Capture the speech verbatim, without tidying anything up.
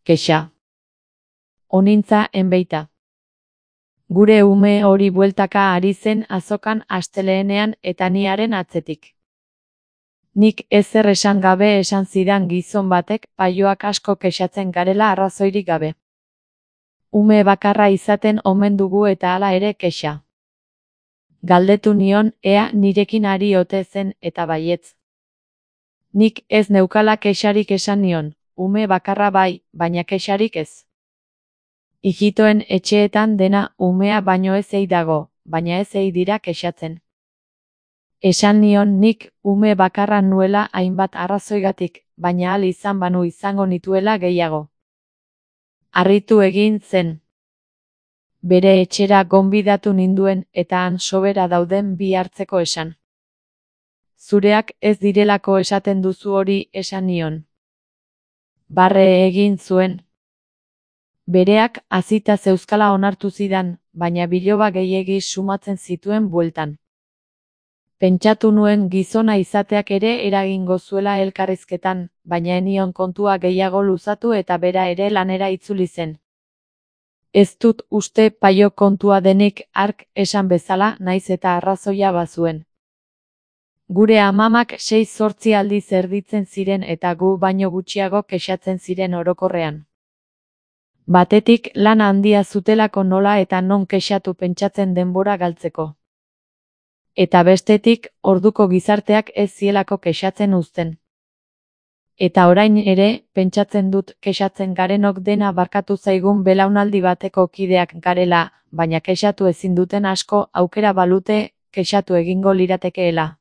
Kexa. Onintza enbeita. Gure ume hori bueltaka ari zen azokan astelehenean eta niaren atzetik. Nik ezer esan gabe esan zidan gizon batek paioak asko kexatzen garela arrazoirik gabe. Ume bakarra izaten omen dugu eta hala ere kexa. Galdetu nion ea nirekin ari ote zen eta baietz. Nik ez neukala kexarik esan nion, ume bakarra bai, baina kexarik ez. Ijitoen etxeetan dena umea baino ez ei dago, baina ez ei dira kexatzen. Esan nion nik ume bakarra nuela hainbat arrazoigatik, baina ahal izan banu izango nituela gehiago. Harritu egin zen. Bere etxera gonbidatu ninduen eta han sobera dauden bi hartzeko esan. Zureak ez direlako esaten duzu hori esan nion. Barre egin zuen. Bereak hazita zeuzkala onartu zidan, baina biloba gehiegi sumatzen zituen bueltan. Pentsatu nuen gizona izateak ere eragingo zuela elkarrizketan, baina enion kontua gehiago luzatu eta bera ere lanera itzuli zen. Ez dut uste paio kontua denik hark esan bezala naiz eta arrazoia bazuen. Gure amamak sei zortzi aldiz erditzen ziren eta gu baino gutxiago kexatzen ziren orokorrean. Batetik lan handia zutelako nola eta non kexatu pentsatzen denbora galtzeko. Eta bestetik, orduko gizarteak ez zielako kexatzen uzten. Eta orain ere, pentsatzen dut kexatzen garenok dena barkatu zaigun belaunaldi bateko kideak garela, baina kexatu ezin duten asko aukera balute, kexatu egingo liratekeela.